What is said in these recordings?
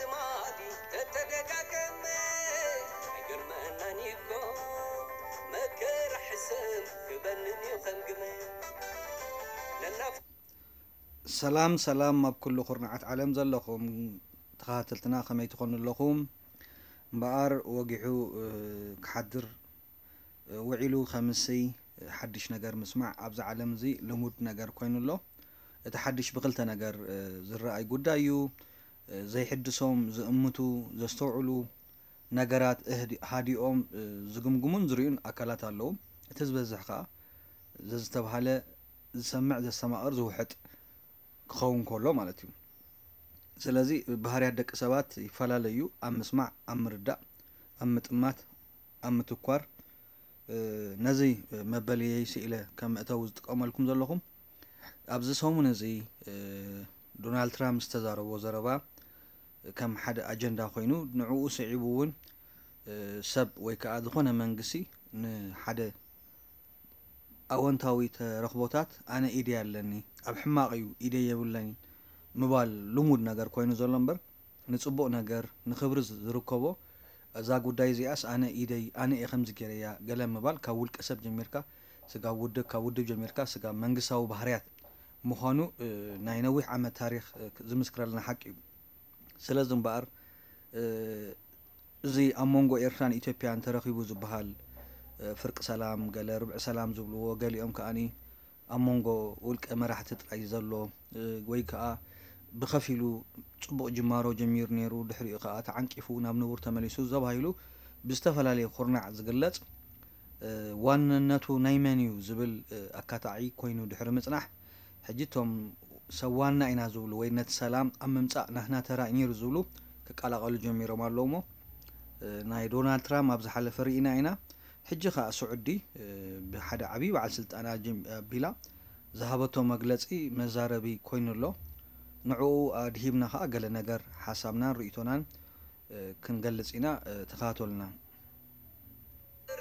ልማዲ ተተደጋገመ ኣይገርመናን እኮ መከራ ሕሰም ክበንን እዩ ከም ግመ ነናፍ ሰላም ሰላም ኣብ ኩሉ ኩርናዓት ዓለም ዘለኹም ተኸታተልትና ከመይ ትኾኑ ኣለኹም? እምበኣር ወጊሑ እ፣ ክሓድር እ፣ ውዒሉ ከምስይ እ፣ ሓድሽ ነገር ምስማዕ ኣብዚ ዓለም እዚ ልሙድ ነገር ኮይኑ ኣሎ። እቲ ሓድሽ ብክልተ ነገር እ፣ ዝረኣይ ጉዳይ እዩ። እ፣ ዘይሕድሶም ዝእምቱ ዘስተውዕሉ ነገራት እህዲ- ሃዲኦም እ፣ ዝግምግሙን ዝርእዩን ኣካላት ኣለዉ። እቲ ዝበዝሕ ከኣ ዘዝተብሃለ ዝሰምዕ ዘስተማቕር ዝውሕጥ ክኸውን ከሎ ማለት እዩ። ስለዚ ባህርያት ደቂ ሰባት ይፈላለዩ፣ ኣብ ምስማዕ፣ ኣብ ምርዳእ፣ ኣብ ምጥማት፣ ኣብ ምትኳር። እ፣ ነዚ መበልየይ ስኢለ ከም መእተዊ ዝጥቀመልኩም ዘለኹም ኣብዚ ሰሙን እዚ እ፣ ዶናልድ ትራምፕ ዝተዛረቦ ዘረባ ከም ሓደ ኣጀንዳ ኮይኑ ንዕኡ ስዒቡ እውን እ፣ ሰብ ወይ ከዓ ዝኾነ መንግስቲ ንሓደ ኣወንታዊ ተረኽቦታት ኣነ ኢደይ ኣለኒ፣ ኣብ ሕማቕ እዩ ኢደይ የብለኒ ምባል ልሙድ ነገር ኮይኑ ዘሎ እምበር ንፅቡቕ ነገር ንኽብሪ ዝርከቦ እዛ ጉዳይ እዚኣስ ኣነ ኢደይ ኣነ እየ ከምዚ ገይረያ ገለ ምባል ካብ ውልቀ ሰብ ጀሚርካ ስጋብ ውድብ ካብ ውድብ ጀሚርካ ስጋብ መንግስታዊ ባህርያት ምዃኑ እ፣ ናይ ነዊሕ ዓመት ታሪክ እ፣ ዝምስክረልና ሓቂ እዩ። ስለዚ እምበኣር እ፣ እዚ ኣብ መንጎ ኤርትራን ኢትዮጵያን ተረኺቡ ዝበሃል እ፣ ፍርቂ ሰላም ገለ ርብዒ ሰላም ዝብልዎ ገሊኦም ከኣኒ ኣብ መንጎ ውልቀ መራሕቲ ጥራይ ዘሎ እ፣ ወይ ከኣ ብኸፊሉ ጽቡቕ ጅማሮ ጀሚሩ ነይሩ ድሕሪኡ ከኣ ተዓንቂፉ ናብ ንቡር ተመሊሱ ዘባሂሉ ብዝተፈላለየ ኩርናዕ ዝግለጽ እ፣ ዋንነቱ ናይ መን እዩ ዝብል እ፣ ኣካታዒ ኮይኑ ድሕሪ ምጽናሕ ሕጂ እቶም ሰብ ዋና ኢና ዝብሉ ወይ ነቲ ሰላም ኣብ ምምጻእ ናህና ተራ እዩ ነይሩ ዝብሉ ክቀላቐሉ ጀሚሮም ኣለዉ እሞ እ፣ ናይ ዶናልድ ትራምፕ ኣብ ዝሓለፈ ርኢና ኢና። ሕጂ ከኣ ስዑዲ እ፣ ብሓደ ዓብዪ በዓል ስልጣን ኣጀም- ኣቢላ ዝሃበቶ መግለጺ መዛረቢ ኮይኑ ኣሎ። ንዕኡ ኣድሂብና ከኣ ገለ ነገር ሓሳብናን ርእይቶናን እ፣ ክንገልጽ ኢና። እ፣ ተኸታተሉና።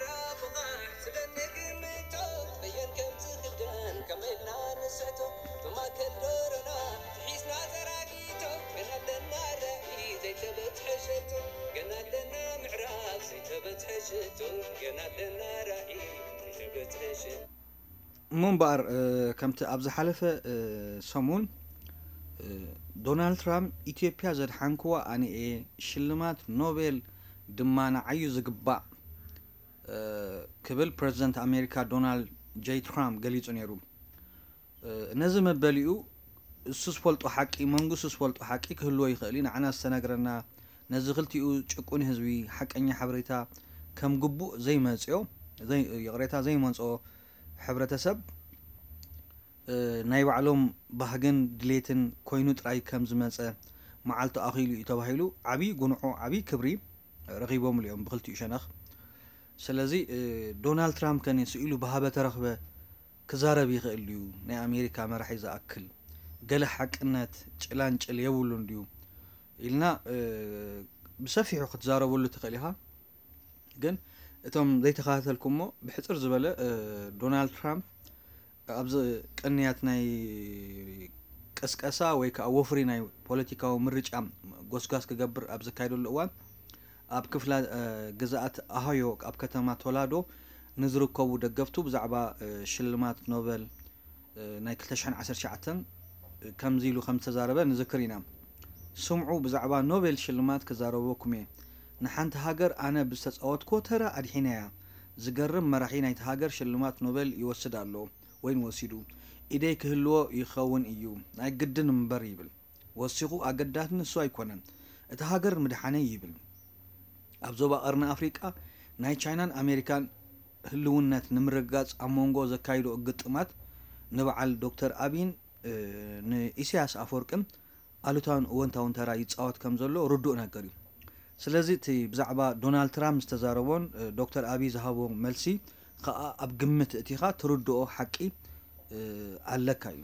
ራብቓሕ ስለ ንግምቶ በየን ከም ዝኽደን ከመይ ኢልና ንስሕቶ ብማእከል ዶሮና ትሒዝና ዘራጊቶ ገና ኣለና ራእይ ዘይተበጽሐ ሸቶ ገና ኣለና ምዕራፍ ዘይተበጽሐ ሸቶ ገና ኣለና ራእይ ዘይተበጽሐ ሸቶ እሞ እምበኣር እ፣ ከምቲ ኣብ ዝሓለፈ እ፣ ሰሙን እ፣ ዶናልድ ትራምፕ ኢትዮጵያ ዘድሓንክዋ ኣነ እየ፣ ሽልማት ኖቤል ድማ ንዓዩ ዝግባእ እ፣ ክብል ፕረዚደንት ኣሜሪካ ዶናልድ ጄይ ትራምፕ ገሊጹ ነይሩ። እ፣ ነዚ መበሊኡ እሱ ዝፈልጦ ሓቂ መንግስቱ ዝፈልጦ ሓቂ ክህልዎ ይኽእል እዩ። ንዓና ዝተነግረና ነዚ ክልቲኡ ጭቁን ህዝቢ ሓቀኛ ሓበሬታ ከም ግቡእ ዘይመጽኦ ዘይ- ይቕሬታ ዘይመንጽኦ ሕብረተሰብ እ፣ ናይ ባዕሎም ባህግን ድሌትን ኮይኑ ጥራይ ከም ዝመጸ መዓልቱ ኣኺሉ እዩ ተባሂሉ ዓብዪ ጉንዖ ዓብዪ ክብሪ ረኺቦምሉ እዮም ብክልቲኡ ሸነኽ። ስለዚ እ፣ ዶናልድ ትራምፕ ከ ስኢሉ ብሃበ ተረኽበ ክዛረብ ይኽእል ድዩ? ናይ ኣሜሪካ መራሒ ዝኣክል ገለ ሓቅነት ጭላንጭል የብሉን ድዩ ኢልና እ፣ ብሰፊሑ ክትዛረበሉ ትኽእል ኢኻ። ግን እቶም ዘይተኸታተልኩሞ ብሕፅር ዝበለ እ፣ ዶናልድ ትራምፕ ኣብዚ ቅንያት ናይ ቅስቀሳ ወይ ከዓ ወፍሪ ናይ ፖለቲካዊ ምርጫ ጎስጓስ ክገብር ኣብ ዘካየደሉ እዋን ኣብ ክፍላ እ፣ ግዝኣት ኣሃዮ ኣብ ከተማ ቶላዶ ንዝርከቡ ደገፍቱ ብዛዕባ እ፣ ሽልማት ኖበል እ፣ ናይ ክልተ ሽሕን ዓሰርተ ትሽዓተን ከምዚ ኢሉ ከም ዝተዛረበ ንዝክር ኢና። ስምዑ፣ ብዛዕባ ኖቤል ሽልማት ክዛረበኩም እየ። ንሓንቲ ሃገር ኣነ ብዝተጻወትክዎ ተራ ኣድሒነያ። ዝገርም መራሒ ናይቲ ሃገር ሽልማት ኖቤል ይወስድ ኣሎ ወይን ወሲዱ። ኢደይ ክህልዎ ይኸውን እዩ። ናይ ግድን እምበር ይብል። ወሲኹ ኣገዳሲ ንሱ ኣይኮነን። እቲ ሃገር ምድሓነይ ይብል። ኣብ ዞባ ቀርኒ ኣፍሪቃ ናይ ቻይናን ኣሜሪካን ህልውነት ንምርግጋጽ ኣብ መንጎ ዘካይዶ ግጥማት ንበዓል ዶክተር ኣቢን እ፣ ንኢሳያስ ኣፈወርቅን ኣሉታውን እወንታውን ተራ ይጻወት ከም ዘሎ ርዱእ ነገር እዩ። ስለዚ እቲ ብዛዕባ ዶናልድ ትራምፕ ዝተዛረቦን እ፣ ዶክተር ኣቢይ ዝሃቦ መልሲ ከኣ ኣብ ግምት እቲኻ ትርድኦ ሓቂ እ፣ ኣለካ እዩ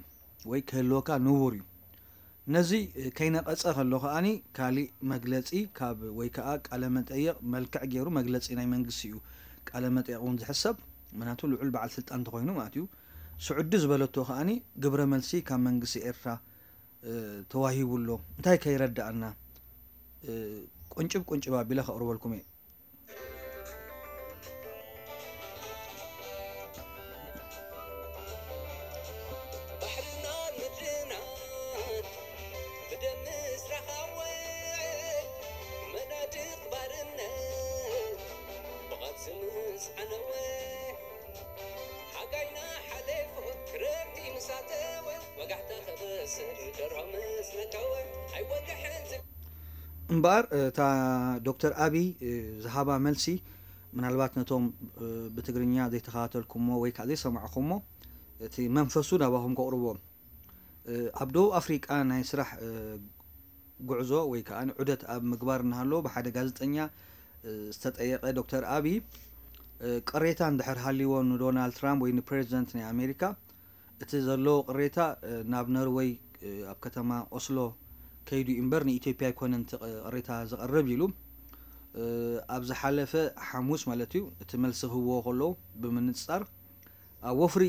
ወይ ክህልወካ ንቡር እዩ። ነዚ ከይነቐጸ ከሎ ከኣኒ ካሊእ መግለጺ ካብ ወይ ከኣ ቃለ መጠይቕ መልክዕ ገይሩ መግለጺ ናይ መንግስቲ እዩ። ቃለ መጠይቕ እውን ዝሕሰብ ምክንያቱ ልዑል በዓል ስልጣን እንተኾይኑ ማለት እዩ። ስዑዲ ዝበለቶ ከኣኒ ግብረ መልሲ ካብ መንግስቲ ኤርትራ እ፣ ተዋሂቡ ኣሎ። እንታይ ከይረዳእና ቁንጭብ ቁንጭብ ኣቢለ ከቕርበልኩም እየ። እምበኣር እታ ዶክተር ኣብይ ዝሃባ መልሲ ምናልባት ነቶም ብትግርኛ ዘይተኸታተልኩሞ ወይ ከዓ ዘይሰማዕኹሞ እቲ መንፈሱ ናባኹም ከቕርቦ። ኣብ ደቡብ ኣፍሪቃ ናይ ስራሕ ጉዕዞ ወይ ከዓ ዑደት ኣብ ምግባር እናሃለዎ ብሓደ ጋዜጠኛ ዝተጠየቀ ዶክተር ኣብይ ቅሬታ እንድሕር ሃልይዎ ንዶናልድ ትራምፕ ወይ ንፕሬዚደንት ናይ ኣሜሪካ እቲ ዘለዎ ቅሬታ ናብ ነርወይ ኣብ ከተማ ኦስሎ ከይዱ እምበር ንኢትዮጵያ ኣይኮነን እቲ ቅሬታ ዘቕርብ ኢሉ ኣብ ዝሓለፈ ሓሙስ ማለት እዩ እቲ መልሲ ክህብዎ ከለዉ ብምንጻር ኣብ ወፍሪ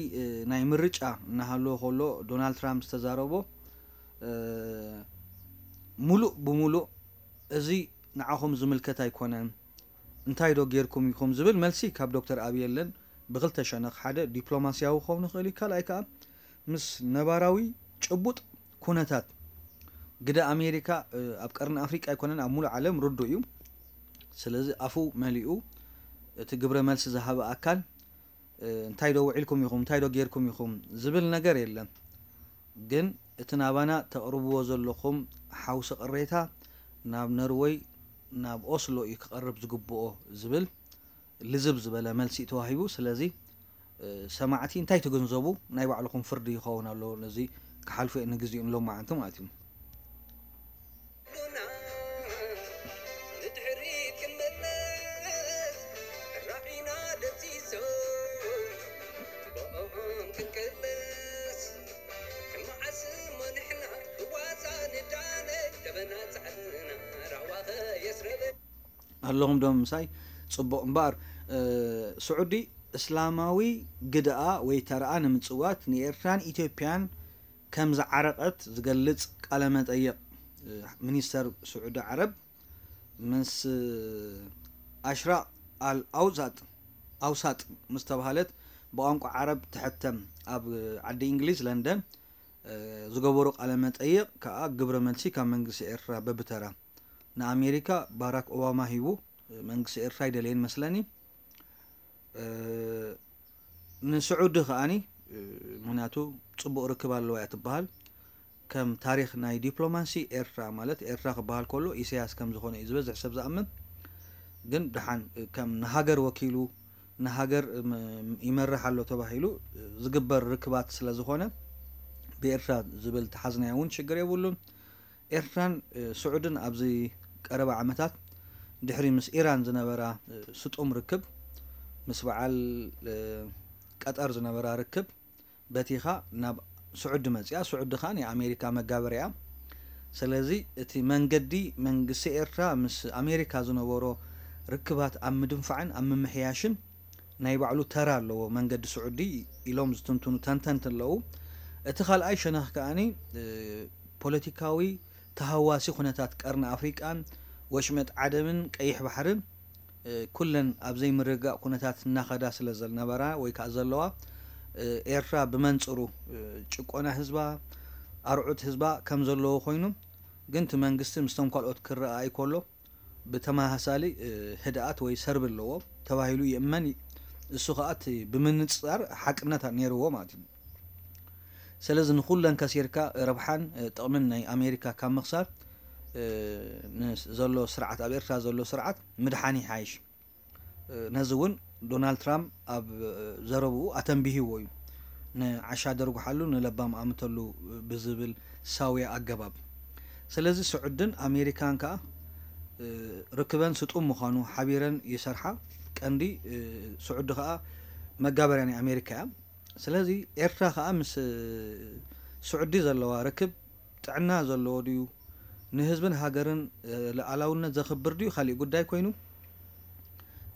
ናይ ምርጫ እናሃለዎ ከሎ ዶናልድ ትራምፕ ዝተዛረቦ ሙሉእ ብሙሉእ እዚ ንዓኹም ዝምልከት ኣይኮነን እንታይ ዶ ጌርኩም ኢኹም ዝብል መልሲ ካብ ዶክተር ኣብይ የለን። ብክልተ ሸነኽ ሓደ ዲፕሎማስያዊ ክኸውን ይኽእል እዩ ካልኣይ ከዓ ምስ ነባራዊ ጭቡጥ ኩነታት ግደ ኣሜሪካ ኣብ ቀርኒ ኣፍሪቃ ኣይኮነን ኣብ ሙሉእ ዓለም ርዱእ እዩ። ስለዚ ኣፉ መሊኡ እቲ ግብረ መልሲ ዝሃበ ኣካል እንታይ ዶ ውዒልኩም ኢኹም እንታይ ዶ ጌርኩም ኢኹም ዝብል ነገር የለን። ግን እቲ ናባና ተቕርብዎ ዘለኹም ሓውሲ ቅሬታ ናብ ነርወይ ናብ ኦስሎ እዩ ክቐርብ ዝግብኦ ዝብል ልዝብ ዝበለ መልሲ እዩ ተዋሂቡ። ስለዚ ሰማዕቲ እንታይ ትግንዘቡ ናይ ባዕልኹም ፍርዲ ይኸውን ኣሎ። ነዚ ክሓልፎ እየ ንግዚኡ ንሎማዓንቲ ማለት እዩ። ኣለኹም ዶ ምሳይ? ጽቡቕ እምበኣር ስዑዲ እስላማዊ ግድኣ ወይ ተረኣ ንምጽዋት ንኤርትራን ኢትዮጵያን ከም ዝዓረቐት ዝገልጽ ቃለ መጠይቕ ሚኒስተር ስዑዲ ዓረብ ምስ ኣሽራቕ ኣል ኣውሳጥ ኣውሳጥ ምስ ተባሃለት ብቋንቋ ዓረብ ትሕተም ኣብ ዓዲ እንግሊዝ ለንደን ዝገበሩ ቃለ መጠይቕ ከዓ ግብረ መልሲ ካብ መንግስቲ ኤርትራ በብተራ ንኣሜሪካ ባራክ ኦባማ ሂቡ። መንግስቲ ኤርትራ ኣይደለየን መስለኒ። ንስዑዲ ከዓኒ ምክንያቱ ፅቡቕ ርክብ ኣለዋ እያ ትበሃል። ከም ታሪክ ናይ ዲፕሎማሲ ኤርትራ ማለት ኤርትራ ክበሃል ከሎ ኢሳያስ ከም ዝኾነ እዩ ዝበዝሕ ሰብ ዝኣምን። ግን ደሓን ከም ንሃገር ወኪሉ ንሃገር ይመርሕ ኣሎ ተባሂሉ ዝግበር ርክባት ስለ ዝኾነ ብኤርትራ ዝብል ተሓዝናዮ እውን ሽግር የብሉን። ኤርትራን ስዑድን ኣብዚ ቀረባ ዓመታት ድሕሪ ምስ ኢራን ዝነበራ ስጡም ርክብ ምስ በዓል ቀጠር ዝነበራ ርክብ በቲኻ ናብ ስዑዲ መፅያ። ስዑዲ ከዓ ናይ ኣሜሪካ መጋበርያ። ስለዚ እቲ መንገዲ መንግስቲ ኤርትራ ምስ ኣሜሪካ ዝነበሮ ርክባት ኣብ ምድንፋዕን ኣብ ምምሕያሽን ናይ ባዕሉ ተራ ኣለዎ መንገዲ ስዑዲ ኢሎም ዝትንትኑ ተንተንቲ ኣለዉ። እቲ ካልኣይ ሸነኽ ከዓኒ ፖለቲካዊ ተሃዋሲ ኩነታት ቀርኒ ኣፍሪቃን ወሽመጥ ዓደምን ቀይሕ ባሕርን ኩለን ኣብ ዘይምርግጋእ ኩነታት እናኸዳ ስለ ዝነበራ ወይ ከዓ ዘለዋ ኤርትራ ብመንፅሩ ጭቆና ህዝባ ኣርዑት ህዝባ ከም ዘለዎ ኮይኑ ግን እቲ መንግስቲ ምስቶም ካልኦት ክረኣ ኣይኮሎ ብተመሳሳሊ ህድኣት ወይ ሰርቢ ኣለዎ ተባሂሉ ይእመን። እሱ ከዓ እቲ ብምንፅፃር ሓቅነት ነይርዎ ማለት እዩ። ስለዚ ንኩለን ከሲርካ ረብሓን ጥቕምን ናይ ኣሜሪካ ካብ ምኽሳር ዘሎ ስርዓት ኣብ ኤርትራ ዘሎ ስርዓት ምድሓን ይሓይሽ። ነዚ እውን ዶናልድ ትራምፕ ኣብ ዘረብኡ ኣተንቢህዎ እዩ። ንዓሻ ደርጉሓሉ ንለባም ኣምተሉ ብዝብል ሳውያ ኣገባብ። ስለዚ ስዑድን ኣሜሪካን ከዓ ርክበን ስጡም ምዃኑ ሓቢረን ይሰርሓ። ቀንዲ ስዑዲ ከዓ መጋበርያ ናይ ኣሜሪካ እያ። ስለዚ ኤርትራ ከዓ ምስ ስዑዲ ዘለዋ ርክብ ጥዕና ዘለዎ ድዩ ንህዝብን ሃገርን ሉዓላውነት ዘኽብር ድዩ ካሊእ ጉዳይ ኮይኑ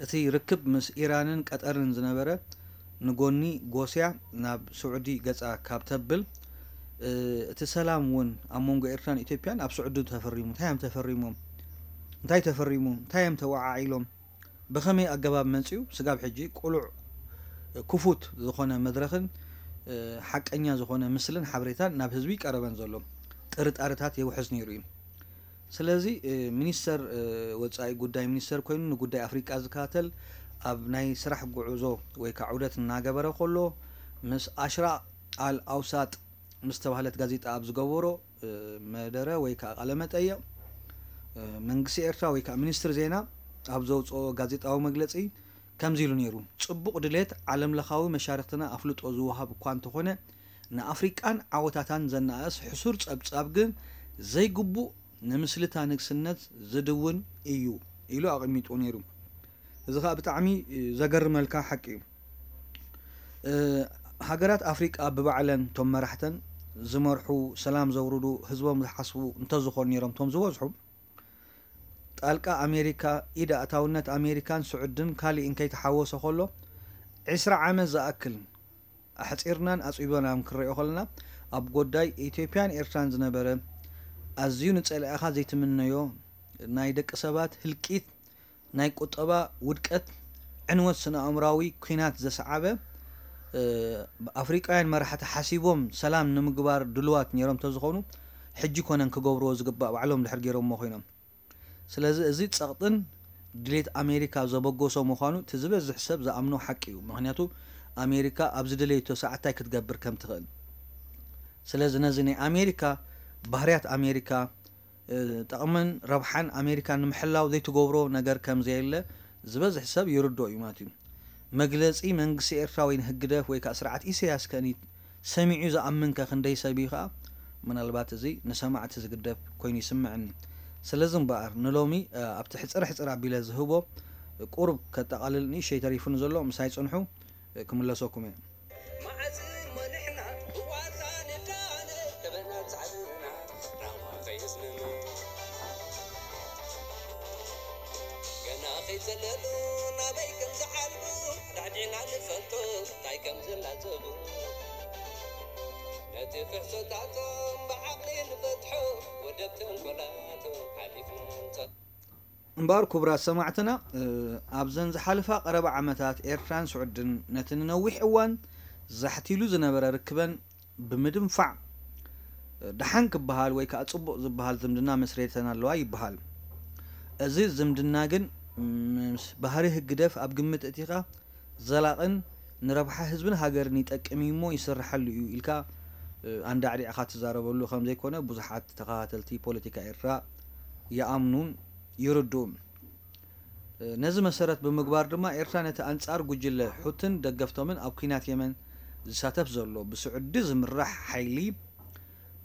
እቲ ርክብ ምስ ኢራንን ቀጠርን ዝነበረ ንጎኒ ጎስያ ናብ ስዑዲ ገፃ ካብ ተብል እቲ ሰላም እውን ኣብ መንጎ ኤርትራን ኢትዮጵያን ኣብ ስዑዲ ተፈሪሙ እንታይ እዮም ተፈሪሞም እንታይ ተፈሪሙ፣ እንታይ እዮም ተወዓዒሎም፣ ብኸመይ ኣገባብ መጺኡ፣ ስጋብ ሕጂ ቅሉዕ ክፉት ዝኾነ መድረኽን ሓቀኛ ዝኾነ ምስልን ሓበሬታን ናብ ህዝቢ ቀረበን ዘሎ ጥርጣርታት የውሕዝ ነይሩ እዩ። ስለዚ ሚኒስተር ወፃኢ ጉዳይ ሚኒስተር ኮይኑ ንጉዳይ ኣፍሪቃ ዝከታተል ኣብ ናይ ስራሕ ጉዕዞ ወይ ከዓ ዑደት እናገበረ ከሎ ምስ ኣሽራቅ ኣል ኣውሳጥ ምስ ተባህለት ጋዜጣ ኣብ ዝገበሮ መደረ ወይ ከዓ ቃለ መጠይቕ መንግስቲ ኤርትራ ወይ ከዓ ሚኒስትሪ ዜና ኣብ ዘውፅኦ ጋዜጣዊ መግለፂ ከምዚ ኢሉ ነይሩ። ፅቡቕ ድሌት ዓለም ለኻዊ መሻርክትና ኣፍልጦ ዝወሃብ እኳ እንተኾነ ንኣፍሪቃን ዓወታታን ዘነኣእስ ሕሱር ጸብጻብ ግን ዘይግቡእ ንምስልታ ንግስነት ዝድውን እዩ ኢሉ ኣቐሚጡ ነይሩ። እዚ ኸኣ ብጣዕሚ ዘገርመልካ ሓቂ እዩ። ሃገራት ኣፍሪቃ ብባዕለን እቶም መራሕተን ዝመርሑ ሰላም ዘውርዱ ህዝቦም ዝሓስቡ እንተዝኾኑ ነይሮም እቶም ዝበዝሑ ጣልቃ ኣሜሪካ ኢድ ኣእታውነት ኣሜሪካን ስዑድን ካሊእን ከይተሓወሰ ከሎ ዕስራ ዓመት ዝኣክል ኣሕፂርናን ኣፅቢበናን ክንሪኦ ከለና ኣብ ጎዳይ ኢትዮጵያን ኤርትራን ዝነበረ ኣዝዩ ንፀላኢኻ ዘይትምነዮ ናይ ደቂ ሰባት ህልቂት ናይ ቁጠባ ውድቀት ዕንወት ስነ ኣእምራዊ ኩናት ዘስዓበ ኣፍሪቃውያን መራሕቲ ሓሲቦም ሰላም ንምግባር ድልዋት ነይሮም ተዝኾኑ ሕጂ ኮነን ክገብርዎ ዝግባእ ባዕሎም ድሕር ገይሮሞ ኮይኖም ስለዚ እዚ ጸቕጥን ድሌት ኣሜሪካ ዘበገሶ ምዃኑ እቲ ዝበዝሕ ሰብ ዝኣምኖ ሓቂ እዩ። ምኽንያቱ ኣሜሪካ ኣብ ዝደለየቶ ሰዓት እንታይ ክትገብር ከም ትኽእል። ስለዚ ነዚ ናይ ኣሜሪካ ባህርያት ኣሜሪካ ጠቕምን ረብሓን ኣሜሪካ ንምሕላው ዘይትገብሮ ነገር ከም ዘየለ ዝበዝሕ ሰብ ይርድኦ እዩ ማለት እዩ። መግለጺ መንግስቲ ኤርትራ ወይ ንህግደፍ ወይ ከዓ ስርዓት ኢሰያስ ከኒ ሰሚዑ ዝኣምን ከ ክንደይ ሰብ እዩ ከዓ ምናልባት እዚ ንሰማዕቲ ዝግደፍ ኮይኑ ይስምዐኒ። ስለዚ እምበኣር ንሎሚ ኣብቲ ሕፅር ሕፅር ኣቢለ ዝህቦ ቁሩብ ከጠቓልል ንእሽተይ ተሪፉኒ ዘሎ ምሳይ ፅንሑ ክምለሰኩም እየ። እምበኣር ክቡራት ሰማዕትና ኣብዘን ዝሓለፋ ቀረባ ዓመታት ኤርትራን ስዑድን ነቲ ንነዊሕ እዋን ዛሕቲሉ ዝነበረ ርክበን ብምድንፋዕ ደሓን ክበሃል ወይ ከዓ ፅቡቕ ዝበሃል ዝምድና መስሪተን ኣለዋ ይበሃል። እዚ ዝምድና ግን ምስ ባህሪ ህግደፍ ኣብ ግምት እቲኻ ዘላቕን ንረብሓ ህዝብን ሃገርን ይጠቅም እዩ እሞ ይስርሓሉ እዩ ኢልካ ኣንዳዕዲዕኻ ትዛረበሉ ከም ዘይኮነ ብዙሓት ተኸታተልቲ ፖለቲካ ኤርትራ ይኣምኑን ይርድኡን። ነዚ መሰረት ብምግባር ድማ ኤርትራ ነቲ ኣንጻር ጉጅለ ሑትን ደገፍቶምን ኣብ ኲናት የመን ዝሳተፍ ዘሎ ብስዑዲ ዝምራሕ ሓይሊ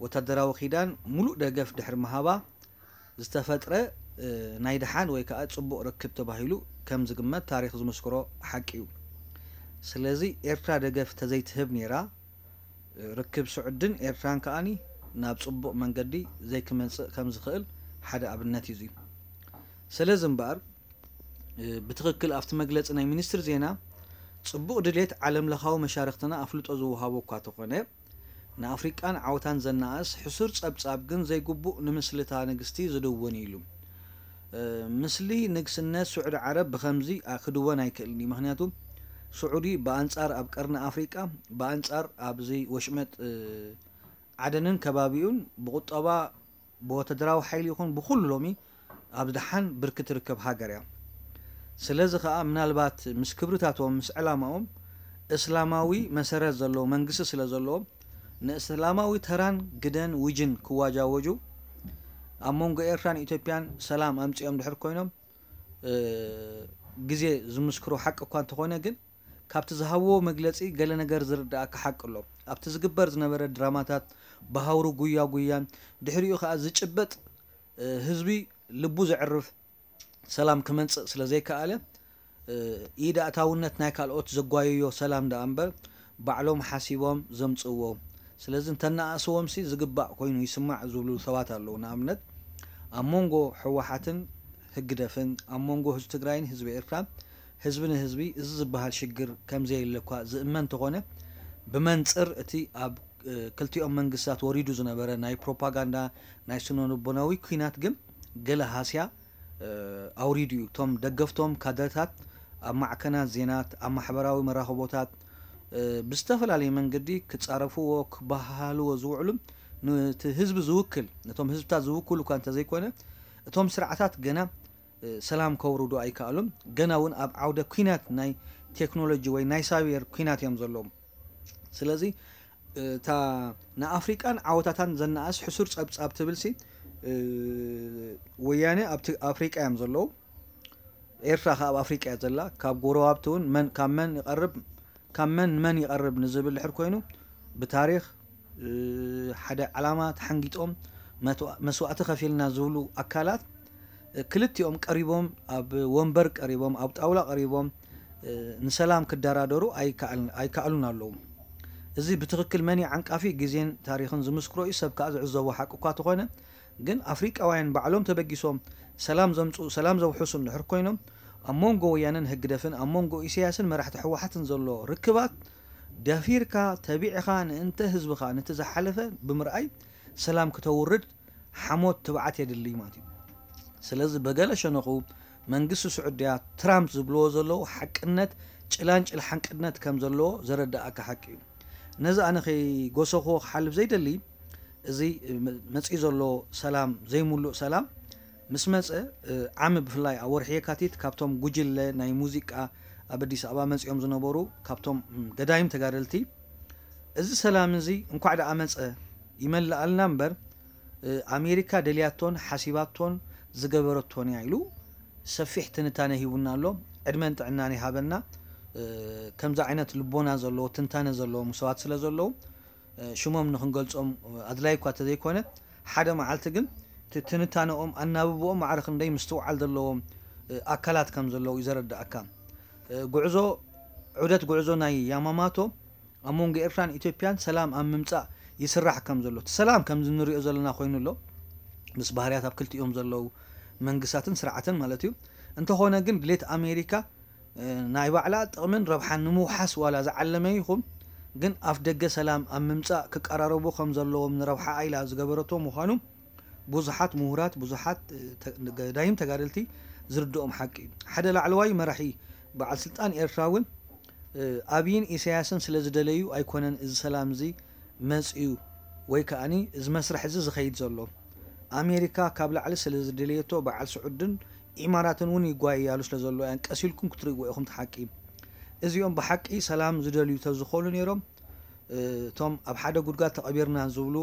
ወታደራዊ ኪዳን ሙሉእ ደገፍ ድሕሪ ምሃባ ዝተፈጥረ ናይ ደሓን ወይ ከዓ ፅቡቕ ርክብ ተባሂሉ ከም ዝግመት ታሪክ ዝምስክሮ ሓቂ እዩ። ስለዚ ኤርትራ ደገፍ ተዘይትህብ ነይራ ርክብ ስዑድን ኤርትራን ከኣኒ ናብ ፅቡቕ መንገዲ ዘይክመፅእ ከም ዝኽእል ሓደ ኣብነት እዩ። ስለዚ እምበኣር ብትኽክል ኣብቲ መግለፂ ናይ ሚኒስትር ዜና ፅቡቕ ድሌት ዓለም ለኻዊ መሻርክትና ኣፍልጦ ዝወሃቦ እኳ ተኾነ ንኣፍሪቃን ዓወታን ዘነኣእስ ሕሱር ጸብጻብ ግን ዘይግቡእ ንምስልታ ንግስቲ ዝድውን ኢሉ። እ፣ ምስሊ ንግስነት ስዑዲ ዓረብ ብኸምዚ ኣ-፣ ክድወን ኣይክእልን እዩ። ምኽንያቱ ስዑዲ ብኣንጻር ኣብ ቀርኒ ኣፍሪቃ፣ ብኣንጻር ኣብዚ ወሽመጥ፣ እ፣ ዓደንን ከባቢኡን ብቁጠባ ብወተደራዊ ሓይሊ ይኹን ብኹሉ ሎሚ ኣብ ዝሓን ብርኪ ትርከብ ሃገር እያ። ስለዚ ኸኣ ምናልባት ምስ ክብርታቶም ምስ ዕላማኦም እስላማዊ መሰረት ዘለዎ መንግስቲ ስለ ዘለዎም ንእስላማዊ ተራን ግደን ውጅን ክዋጃወጁ ኣብ መንጎ ኤርትራን ኢትዮጵያን ሰላም ኣምጺኦም ድሕር ኮይኖም እ፣ ግዜ ዝምስክሮ ሓቂ እኳ እንተኾነ ግን ካብቲ ዝሃብዎ መግለጺ ገለ ነገር ዝርድኣካ ሓቂ ኣሎ። ኣብቲ ዝግበር ዝነበረ ድራማታት ብሃውሪ ጉያ ጉያን ድሕሪኡ ከኣ ዝጭበጥ እ፣ ህዝቢ ልቡ ዘዕርፍ ሰላም ክመንጽእ ስለ ዘይከኣለ እ፣ ኢድ ኣእታውነት ናይ ካልኦት ዘጓየዮ ሰላም ደኣ እምበር ባዕሎም ሓሲቦም ዘምጽእዎ ስለዚ እንተነኣእስዎምሲ ዝግባእ ኮይኑ ይስማዕ ዝብሉ ሰባት ኣለዉ። ንኣብነት ኣብ መንጎ ህወሓትን ህግደፍን ኣብ መንጎ ህዝቢ ትግራይን ህዝቢ ኤርትራን ህዝቢ ንህዝቢ እዚ ዝበሃል ሽግር ከምዘየለ እኳ ዝእመን እንተኾነ ብመንፅር እቲ ኣብ ክልቲኦም መንግስታት ወሪዱ ዝነበረ ናይ ፕሮፓጋንዳ ናይ ስነልቦናዊ ኲናት ግን ገለ ሃስያ ኣውሪዱ እዩ። እቶም ደገፍቶም ካድረታት ኣብ ማዕከናት ዜናት፣ ኣብ ማሕበራዊ መራኸቦታት ብዝተፈላለየ መንገዲ ክጻረፍዎ ክበሃሃልዎ ዝውዕሉ፣ ነቲ ህዝቢ ዝውክል፣ ነቶም ህዝብታት ዝውክሉ እኳ እንተዘይኮነ፣ እቶም ስርዓታት ገና ሰላም ከውርዱ ኣይከኣሉን። ገና እውን ኣብ ዓውደ ኲናት ናይ ቴክኖሎጂ ወይ ናይ ሳይበር ኲናት እዮም ዘለዉ። ስለዚ እታ ንኣፍሪቃን ዓወታታን ዘነኣእስ ሕሱር ጸብጻብ ትብል ሲ ወያነ ኣብቲ ኣፍሪቃ እዮም ዘለዉ። ኤርትራ ከ ኣብ ኣፍሪቃ እያ ዘላ። ካብ ጎረባብቲ እውን መን ካብ መን ይቐርብ፣ ካብ መን ንመን ይቐርብ ንዝብል ድሕር ኮይኑ፣ ብታሪኽ ሓደ ዓላማ ተሓንጊጦም መስዋእቲ ከፊልና ዝብሉ ኣካላት ክልቲኦም ቀሪቦም፣ ኣብ ወንበር ቀሪቦም፣ ኣብ ጣውላ ቀሪቦም ንሰላም ክደራደሩ ኣይከኣሉን ኣለዉ። እዚ ብትኽክል መን እዩ ዓንቃፊ? ግዜን ታሪኽን ዝምስክሮ እዩ። ሰብ ከኣ ዝዕዘቦ ሓቂ እኳ ተኾነ፣ ግን ኣፍሪቃውያን ባዕሎም ተበጊሶም ሰላም ዘምጽኡ፣ ሰላም ዘውሕሱ እንድሕር ኮይኖም፣ ኣብ መንጎ ወያነን ህግደፍን ኣብ መንጎ ኢሳያስን መራሕቲ ህወሓትን ዘሎ ርክባት ደፊርካ ተቢዕኻ ንእንተ ህዝብኻ ነቲ ዝሓለፈ ብምርኣይ ሰላም ክተውርድ ሓሞት ትብዓት የድሊ ማለት እዩ። ስለዚ በገለ ሸነኹ መንግስቲ ስዑድያ ትራምፕ ዝብልዎ ዘለዉ ሓቅነት ጭላንጭል ሓቅነት ከም ዘለዎ ዘረዳእካ ሓቂ እዩ። ነዚ ኣነ ከይጎሰኽዎ ክሓልፍ ዘይደሊ፣ እዚ መፂኡ ዘሎ ሰላም ዘይምሉእ ሰላም ምስ መፀ ዓሚ ብፍላይ ኣብ ወርሒ የካቲት ካብቶም ጉጅለ ናይ ሙዚቃ ኣብ ኣዲስ ኣበባ መፂኦም ዝነበሩ ካብቶም ገዳይም ተጋደልቲ እዚ ሰላም እዚ እንኳዕ ደኣ መፀ ይመልኣልና እምበር ኣሜሪካ ደልያቶን ሓሲባቶን ዝገበረቶን እያ ኢሉ ሰፊሕ ትንታነ ሂቡና ኣሎ። ዕድመን ጥዕናን ይሃበና። ከምዚ ዓይነት ልቦና ዘለዎ ትንታነ ዘለዎም ሰባት ስለ ዘለዉ ሽሞም ንክንገልጾም ኣድላይ እኳ ተዘይኮነ ሓደ መዓልቲ ግን ትንታነኦም ኣናብብኦም ማዕረ ክንደይ ምስትውዓል ዘለዎም ኣካላት ከም ዘለዉ እዩ ዘረዳእካ። ጉዕዞ ዑደት ጉዕዞ ናይ ያማማቶ ኣብ መንጎ ኤርትራን ኢትዮጵያን ሰላም ኣብ ምምጻእ ይስራሕ ከም ዘሎ እቲ ሰላም ከምዚ ንሪኦ ዘለና ኮይኑ ኣሎ ምስ ባህርያት ኣብ ክልቲኦም ዘለዉ መንግስታትን ስርዓትን ማለት እዩ። እንተኾነ ግን ድሌት ኣሜሪካ ናይ ባዕላ ጥቕምን ረብሓን ንምውሓስ ዋላ ዝዓለመ ይኹን ግን ኣፍ ደገ ሰላም ኣብ ምምጻእ ክቀራረቡ ከም ዘለዎም ንረብሓኣ ኢላ ዝገበረቶ ምዃኑ ብዙሓት ምሁራት፣ ብዙሓት ገዳይም ተጋደልቲ ዝርድኦም ሓቂ እዩ። ሓደ ላዕለዋይ መራሒ በዓል ስልጣን ኤርትራ እውን ኣብይን ኢሳያስን ስለ ዝደለዩ ኣይኮነን እዚ ሰላም እዚ መፅዩ ወይ ከኣኒ እዚ መስርሕ እዚ ዝኸይድ ዘሎ። ኣሜሪካ ካብ ላዕሊ ስለ ዝደለየቶ በዓል ስዑድን ኢማራትን እውን ይጓየያሉ ስለ ዘሎ እያን ቀስ ኢልኩም ክትርእይዎ ኢኹም እቲ ሓቂ። እዚኦም ብሓቂ ሰላም ዝደልዩ ተዝኾኑ ነይሮም እቶም ኣብ ሓደ ጉድጓድ ተቐቢርና ዝብሉ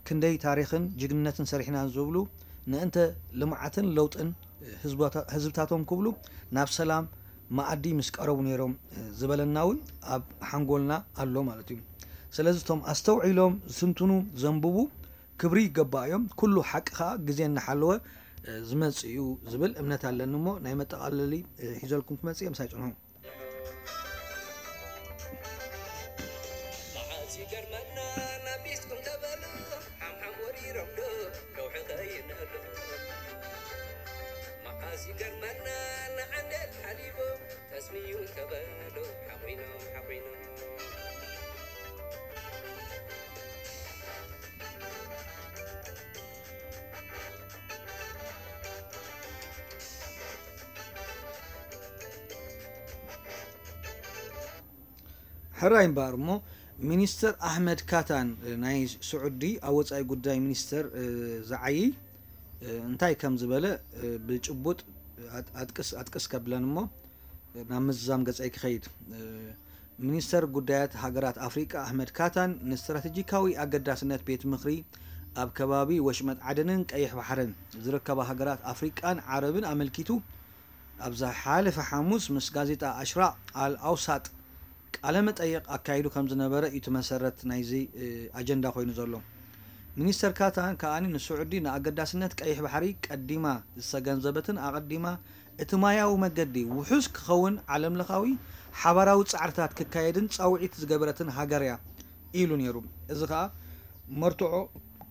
ክንደይ ታሪኽን ጅግንነትን ሰሪሕና ዝብሉ ንእንተ ልምዓትን ለውጥን ህዝብታቶም ክብሉ ናብ ሰላም መኣዲ ምስ ቀረቡ ነይሮም ዝበለና እውን ኣብ ሓንጎልና ኣሎ ማለት እዩ። ስለዚ እቶም ኣስተውዒሎም ዝትንትኑ ዘንብቡ ክብሪ ይገባእዮም። ኩሉ ሓቂ ከዓ ግዜ እናሓለወ ዝመፅእ እዩ ዝብል እምነት ኣለኒ። እሞ ናይ መጠቓለሊ ሒዘልኩም ክመፅእ እየ። ምሳይ ፅንሑ። መዓስ ይገርመና ናቢስኩም ተበሉ ሓምሓም ወሪሮም ዶ ከውሒ ከይነሉ መዓስ ይገርመና ንዓንደል ሓሊቦም ተስሚዩ ተበሉ ሓቑኖም ሓቑኖም ሕራይ እምበኣር እሞ ሚኒስተር ኣሕመድ ካታን ናይ ስዑዲ ኣብ ወፃኢ ጉዳይ ሚኒስተር ዝዓይይ እንታይ ከም ዝበለ ብጭቡጥ ኣጥቅስ ኣጥቅስ ከብለን እሞ ናብ ምዝዛም ገፀይ ክኸይድ። ሚኒስተር ጉዳያት ሃገራት ኣፍሪቃ ኣሕመድ ካታን ንስትራቴጂካዊ ኣገዳስነት ቤት ምኽሪ ኣብ ከባቢ ወሽመጥ ዓደንን ቀይሕ ባሕርን ዝርከባ ሃገራት ኣፍሪቃን ዓረብን ኣመልኪቱ ኣብ ዝሓለፈ ሓሙስ ምስ ጋዜጣ ኣሽራቕ ኣል ኣውሳጥ ቃለ መጠይቕ ኣካይዱ ከም ዝነበረ እዩ እቲ መሰረት ናይዚ ኣጀንዳ ኮይኑ ዘሎ። ሚኒስተር ካታን ከኣ ንስዑዲ ንኣገዳስነት ቀይሕ ባሕሪ ቀዲማ ዝተገንዘበትን ኣቐዲማ እቲ ማያዊ መገዲ ውሑስ ክኸውን ዓለምለኻዊ ሓባራዊ ጻዕርታት ክካየድን ጻውዒት ዝገበረትን ሃገር እያ ኢሉ ነይሩ። እዚ ከኣ መርትዖ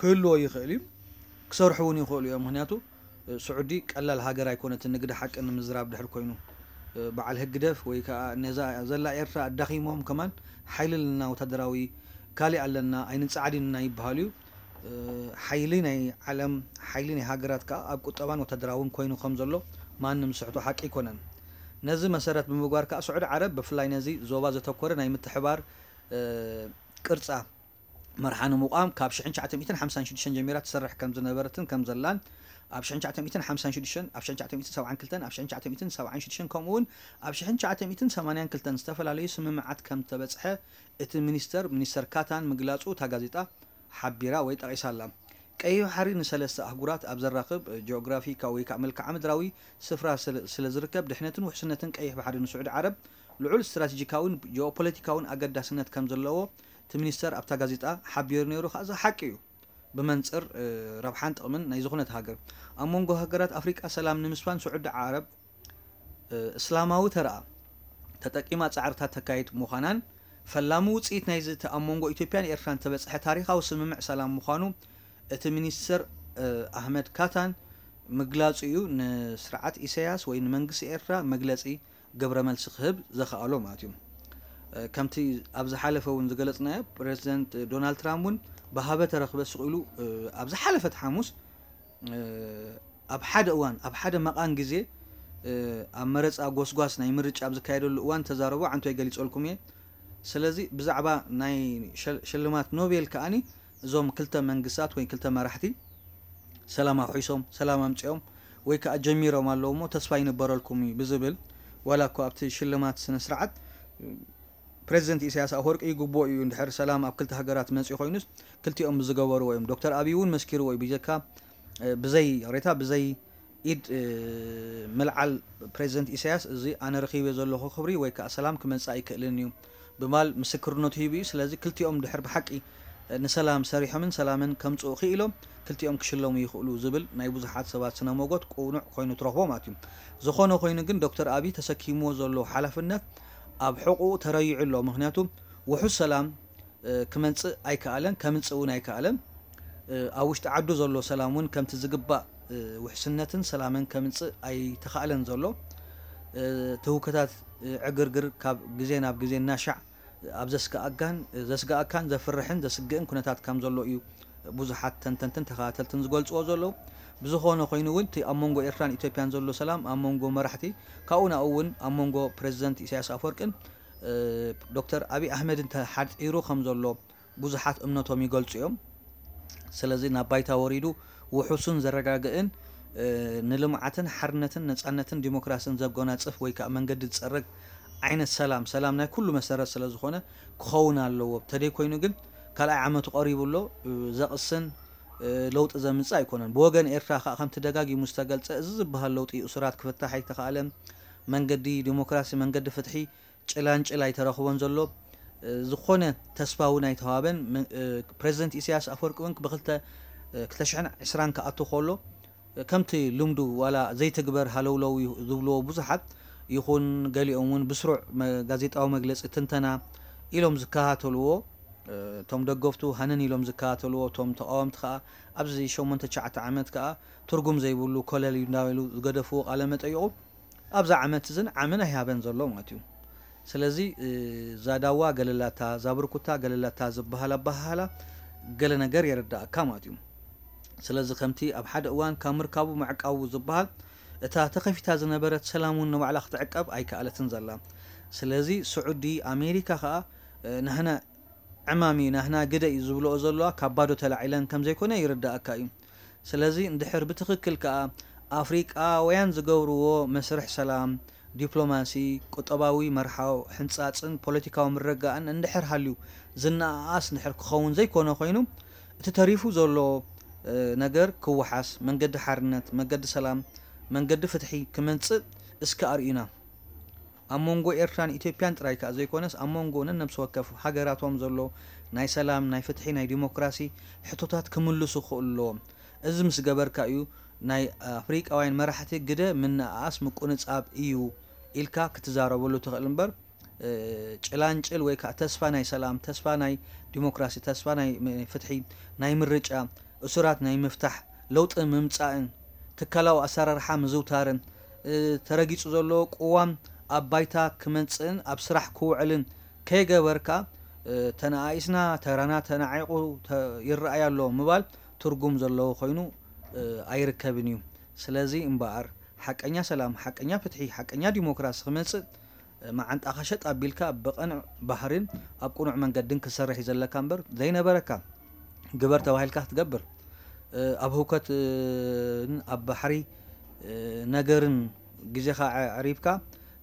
ክህልዎ ይኽእል እዩ፣ ክሰርሑ እውን ይኽእሉ እዮም። ምክንያቱ ስዑዲ ቀላል ሃገር ኣይኮነትን። ንግዲ ሓቂ ንምዝራብ ድሕር ኮይኑ በዓል ህግደፍ ወይ ከዓ ነዛ ዘላ ኤርትራ ኣዳኺሞም ከማን ሓይሊ ኣለና፣ ወታደራዊ ካሊእ ኣለና፣ ኣይንጻዓድን ኢና ይበሃሉ እዩ። ሓይሊ ናይ ዓለም፣ ሓይሊ ናይ ሃገራት ከኣ ኣብ ቁጠባን ወታደራውን ኮይኑ ከም ዘሎ ማንም ዝስሕቶ ሓቂ ኣይኮነን። ነዚ መሰረት ብምግባር ከኣ ስዑዲ ዓረብ ብፍላይ ነዚ ዞባ ዘተኮረ ናይ ምትሕባር ቅርጻ መርሓ ንምቋም ካብ ሽሕን ትሽዓተ ሚእትን ሓምሳን ሽዱሽተን ጀሚራ ትሰርሕ ከም ዝነበረትን ከም ዘላን ኣብ ሽሕን ትሽዓተ ሚእትን ሓምሳን ሽዱሽተን፣ ኣብ ሽሕን ትሽዓተ ሚእትን ሰብዓን ክልተን፣ ኣብ ሽሕን ትሽዓተ ሚእትን ሰብዓን ሽዱሽተን ከምኡ እውን ኣብ ሽሕን ትሽዓተ ሚእትን ሰማንያን ክልተን ዝተፈላለዩ ስምምዓት ከም ተበጽሐ እቲ ሚኒስተር፣ ሚኒስተር ካታን ምግላጹ እታ ጋዜጣ ሓቢራ ወይ ጠቒሳ ኣላ። ቀይሕ ባሕሪ ንሰለስተ ኣህጉራት ኣብ ዘራኽብ ጂኦግራፊካዊ ወይ ከዓ መልክዓ ምድራዊ ስፍራ ስለ ዝርከብ፣ ድሕነትን ውሕስነትን ቀይሕ ባሕሪ ንስዑዲ ዓረብ ልዑል ስትራቴጂካውን ጂኦፖለቲካውን ኣገዳስነት ከም ዘለዎ እቲ ሚኒስተር ኣብታ ጋዜጣ ሓቢሩ ነይሩ። ከኣ እዚ ሓቂ እዩ። ብመንጽር ረብሓን ጥቕምን ናይ ዝኾነት ሃገር፣ ኣብ መንጎ ሃገራት ኣፍሪቃ ሰላም ንምስፋን ስዑዲ ዓረብ እስላማዊ ተረኣ ተጠቂማ ጻዕርታት ተካይድ ምዃናን፣ ፈላሚ ውጽኢት ናይዚ እቲ ኣብ መንጎ ኢትዮጵያን ኤርትራን ተበጽሐ ታሪኻዊ ስምምዕ ሰላም ምዃኑ እቲ ሚኒስትር ኣህመድ ካታን ምግላጹ እዩ ንስርዓት ኢሳያስ ወይ ንመንግስቲ ኤርትራ መግለጺ ግብረ መልሲ ክህብ ዘኽኣሎ ማለት እዩ። ከምቲ ኣብ ዝሓለፈ እውን ዝገለጽናዮ፣ ፕሬዚደንት ዶናልድ ትራምፕ እውን ብሃበ ተረኽበ ስቕ ኢሉ ኣብ ዝሓለፈት ሓሙስ ኣብ ሓደ እዋን፣ ኣብ ሓደ መቓን ግዜ ኣብ መረፃ ጎስጓስ ናይ ምርጫ ኣብ ዝካየደሉ እዋን ተዛረቦ ዓንቶይ ገሊፀልኩም እየ። ስለዚ ብዛዕባ ናይ ሽልማት ኖቤል ከኣኒ እዞም ክልተ መንግስታት ወይ ክልተ መራሕቲ ሰላም ኣውሒሶም፣ ሰላም ኣምፂኦም ወይ ከዓ ጀሚሮም ኣለዉ እሞ ተስፋ ይንበረልኩም እዩ ብዝብል፣ ዋላ እኮ ኣብቲ ሽልማት ስነ ስርዓት ፕሬዚደንት ኢሳያስ ኣፈወርቂ ይግብኦ እዩ እንድሕር ሰላም ኣብ ክልተ ሃገራት መፂኡ ኮይኑስ ክልቲኦም ብዝገበርዎ እዮም። ዶክተር ኣብይ እውን መስኪርዎ እዩ። ብጀካ ብዘይ ሬታ ብዘይ ኢድ ምልዓል ፕሬዚደንት ኢሳያስ እዚ ኣነ ረኺበ ዘለኹ ክብሪ ወይ ከዓ ሰላም ክመፅእ ኣይክእልን እዩ ብማል ምስክርነቱ ሂቡ እዩ። ስለዚ ክልቲኦም ድሕር ብሓቂ ንሰላም ሰሪሖምን ሰላምን ከምፅኡ ክኢሎም ክልቲኦም ክሽለሙ ይኽእሉ ዝብል ናይ ብዙሓት ሰባት ስነ ሞጎት ቅኑዕ ኮይኑ ትረኽቦ ማለት እዩ። ዝኾነ ኮይኑ ግን ዶክተር ኣብይ ተሰኪምዎ ዘሎ ሓላፍነት ኣብ ሕቑኡ ተረይዑ ኣሎ። ምኽንያቱ ውሑስ ሰላም ክመንጽእ ኣይከኣለን፣ ከምንጽእ እውን ኣይከኣለን። ኣብ ውሽጢ ዓዱ ዘሎ ሰላም እውን ከምቲ ዝግባእ ውሕስነትን ሰላምን ከምንጽእ ኣይተኻእለን ዘሎ። ትውከታት ዕግርግር ካብ ግዜ ናብ ግዜ እናሻዕ ኣብ ዘስግኣካን ዘስግኣካን ዘፍርሕን ዘስግእን ኩነታት ከም ዘሎ እዩ ብዙሓት ተንተንትን ተኸታተልትን ዝገልጽዎ ዘለዉ። ብዝኾነ ኮይኑ እውን እቲ ኣብ መንጎ ኤርትራን ኢትዮጵያን ዘሎ ሰላም ኣብ መንጎ መራሕቲ ካብኡ ናብኡ እውን ኣብ መንጎ ፕሬዚደንት ኢሳያስ ኣፈወርቅን ዶክተር ኣብይ ኣሕመድን ተሓጺሩ ከም ዘሎ ብዙሓት እምነቶም ይገልጹ እዮም። ስለዚ ናብ ባይታ ወሪዱ ውሑሱን ዘረጋግእን ንልምዓትን ሓርነትን ነጻነትን ዲሞክራስን ዘጎናጽፍ ወይ ከዓ መንገዲ ዝጸርግ ዓይነት ሰላም፣ ሰላም ናይ ኩሉ መሰረት ስለ ዝኾነ ክኸውን ኣለዎ። ተደይ ኮይኑ ግን ካልኣይ ዓመቱ ቀሪቡ ኣሎ። ዘቕስን ለውጢ ዘምጽእ ኣይኮነን። ብወገን ኤርትራ ከዓ ከምቲ ደጋጊሙ ዝተገልጸ እዚ ዝበሃል ለውጢ እሱራት ክፍታሕ ኣይተኻእለን። መንገዲ ዲሞክራሲ፣ መንገዲ ፍትሒ ጭላንጭል ኣይተረኽቦን ዘሎ። ዝኾነ ተስፋ እውን ኣይተዋበን። ፕሬዚደንት ኢሳያስ ኣፈወርቂ እውን ብክልተ ክልተ ሽሕን ዕስራን ክኣቱ ከሎ ከምቲ ልምዱ ዋላ ዘይትግበር ሃለውለው እዩ ዝብልዎ ብዙሓት ይኹን ገሊኦም እውን ብስሩዕ ጋዜጣዊ መግለፂ ትንተና ኢሎም ዝከታተልዎ እቶም ደገፍቱ ሃነን ኢሎም ዝከታተልዎ እቶም ተቃወምቲ ከዓ ኣብዚ ሸሞንተ ትሽዓተ ዓመት ከዓ ትርጉም ዘይብሉ ኮለል እዩ እንዳበሉ ዝገደፍዎ ቃለ መጠይቁ ኣብዛ ዓመት እዝን ዓምን ኣይሃበን ዘሎ ማለት እዩ። ስለዚ እዛ ዳዋ ገለላታ፣ እዛ ብርኩታ ገለላታ ዝበሃል ኣበሃህላ ገለ ነገር የረዳእካ ማለት እዩ። ስለዚ ከምቲ ኣብ ሓደ እዋን ካብ ምርካቡ ምዕቃቡ ዝበሃል እታ ተኸፊታ ዝነበረት ሰላም እውን ንባዕላ ክትዕቀብ ኣይከኣለትን ዘላ። ስለዚ ስዑዲ ኣሜሪካ ከዓ ናህና ዕማም እዩ ናህና ግደ እዩ ዝብልኦ ዘለዋ ካብ ባዶ ተላዒለን ከም ዘይኮነ ይርዳእካ እዩ። ስለዚ እንድሕር ብትኽክል ከኣ ኣፍሪቃውያን ዝገብርዎ መስርሕ ሰላም፣ ዲፕሎማሲ፣ ቁጠባዊ መርሓው፣ ሕንጻጽን ፖለቲካዊ ምርግጋእን እንድሕር ሃልዩ ዝነኣኣስ እንድሕር ክኸውን ዘይኮነ ኮይኑ እቲ ተሪፉ ዘሎ ነገር ክወሓስ መንገዲ ሓርነት፣ መንገዲ ሰላም፣ መንገዲ ፍትሒ ክመጽእ እስከ ኣርእዩና። ኣብ መንጎ ኤርትራን ኢትዮጵያን ጥራይ ከኣ ዘይኮነስ ኣብ መንጎ ነነብሲ ወከፍ ሃገራቶም ዘሎ ናይ ሰላም፣ ናይ ፍትሒ፣ ናይ ዲሞክራሲ ሕቶታት ክምልሱ ክኽእሉ ኣለዎም። እዚ ምስ ገበርካ እዩ ናይ ኣፍሪቃውያን መራሕቲ ግደ ምንእኣስ ምቁንጻብ እዩ ኢልካ ክትዛረበሉ ትኽእል እምበር ጭላንጭል ወይ ከዓ ተስፋ ናይ ሰላም፣ ተስፋ ናይ ዲሞክራሲ፣ ተስፋ ናይ ፍትሒ፣ ናይ ምርጫ፣ እሱራት ናይ ምፍታሕ፣ ለውጢ ምምጻእን ትካላዊ ኣሰራርሓ ምዝውታርን ተረጊጹ ዘሎ ቅዋም ኣብ ባይታ ክመጽእን ኣብ ስራሕ ክውዕልን ከይገበርካ ተነኣኢስና፣ ተራና ተናዒቑ ይረኣይ ኣሎ ምባል ትርጉም ዘለዎ ኮይኑ ኣይርከብን እዩ። ስለዚ እምበኣር ሓቀኛ ሰላም፣ ሓቀኛ ፍትሒ፣ ሓቀኛ ዲሞክራሲ ክመፅእ መዓንጣኻ ሸጥ ኣቢልካ ብቐንዕ ባህርን ኣብ ቅኑዕ መንገድን ክሰርሕ እዩ ዘለካ እምበር ዘይነበረካ ግበር ተባሂልካ ክትገብር ኣብ ህውከትን ኣብ ባሕሪ ነገርን ግዜኻ ኣዕሪብካ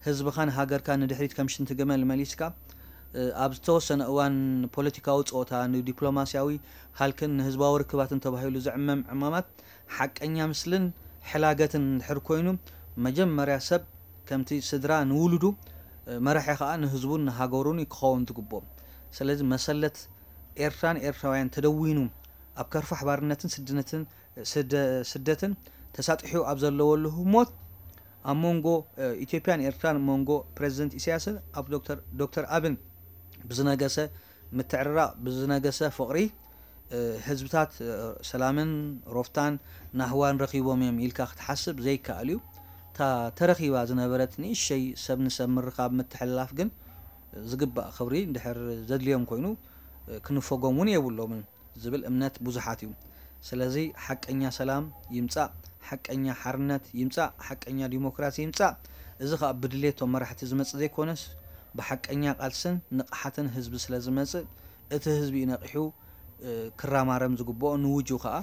ህዝብኻን ሃገርካን ንድሕሪት ከም ሽንቲ ገመል መሊስካ ኣብ ዝተወሰነ እዋን ፖለቲካዊ ፀወታ ንዲፕሎማስያዊ ሃልክን ንህዝባዊ ርክባትን ተባሂሉ ዝዕመም ዕማማት ሓቀኛ ምስልን ሕላገትን እንድሕር ኮይኑ መጀመርያ ሰብ ከምቲ ስድራ ንውሉዱ መራሒ ከዓ ንህዝቡን ንሃገሩን ክኸውን ዝግብኦ። ስለዚ መሰለት ኤርትራን ኤርትራውያን ተደዊኑ ኣብ ከርፋሕ ባርነትን ስድነትን ስደትን ተሳጢሑ ኣብ ዘለወሉ ህሞት ኣብ መንጎ ኢትዮጵያን ኤርትራን መንጎ ፕረዚደንት ኢሳያስን ኣብ ዶክተር ኣብን ብዝነገሰ ምትዕርራቕ ብዝነገሰ ፍቕሪ ህዝብታት ሰላምን ሮፍታን ናህዋን ረኺቦም እዮም ኢልካ ክትሓስብ ዘይከኣል እዩ። እታ ተረኺባ ዝነበረት ንእሸይ ሰብ ንሰብ ምርኻብ ምትሕልላፍ ግን ዝግባእ ክብሪ እንድሕር ዘድልዮም ኮይኑ ክንፈጎም እውን የብሎምን ዝብል እምነት ብዙሓት እዩ። ስለዚ ሓቀኛ ሰላም ይምፃእ፣ ሓቀኛ ሓርነት ይምፃእ፣ ሓቀኛ ዲሞክራሲ ይምፃእ። እዚ ከዓ ብድሌቶም መራሕቲ ዝመፅእ ዘይኮነስ ብሓቀኛ ቃልስን ንቕሓትን ህዝቢ ስለዝመፅእ እቲ ህዝቢ እዩ ነቒሑ ክራማረም ዝግብኦ ንውጁ ከዓ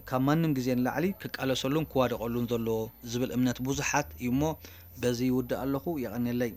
ካብ ማንም ግዜ ንላዕሊ ክቃለሰሉን ክዋደቐሉን ዘለዎ ዝብል እምነት ብዙሓት እዩ እሞ በዚ ይውድእ ኣለኹ። የቐንየለይ።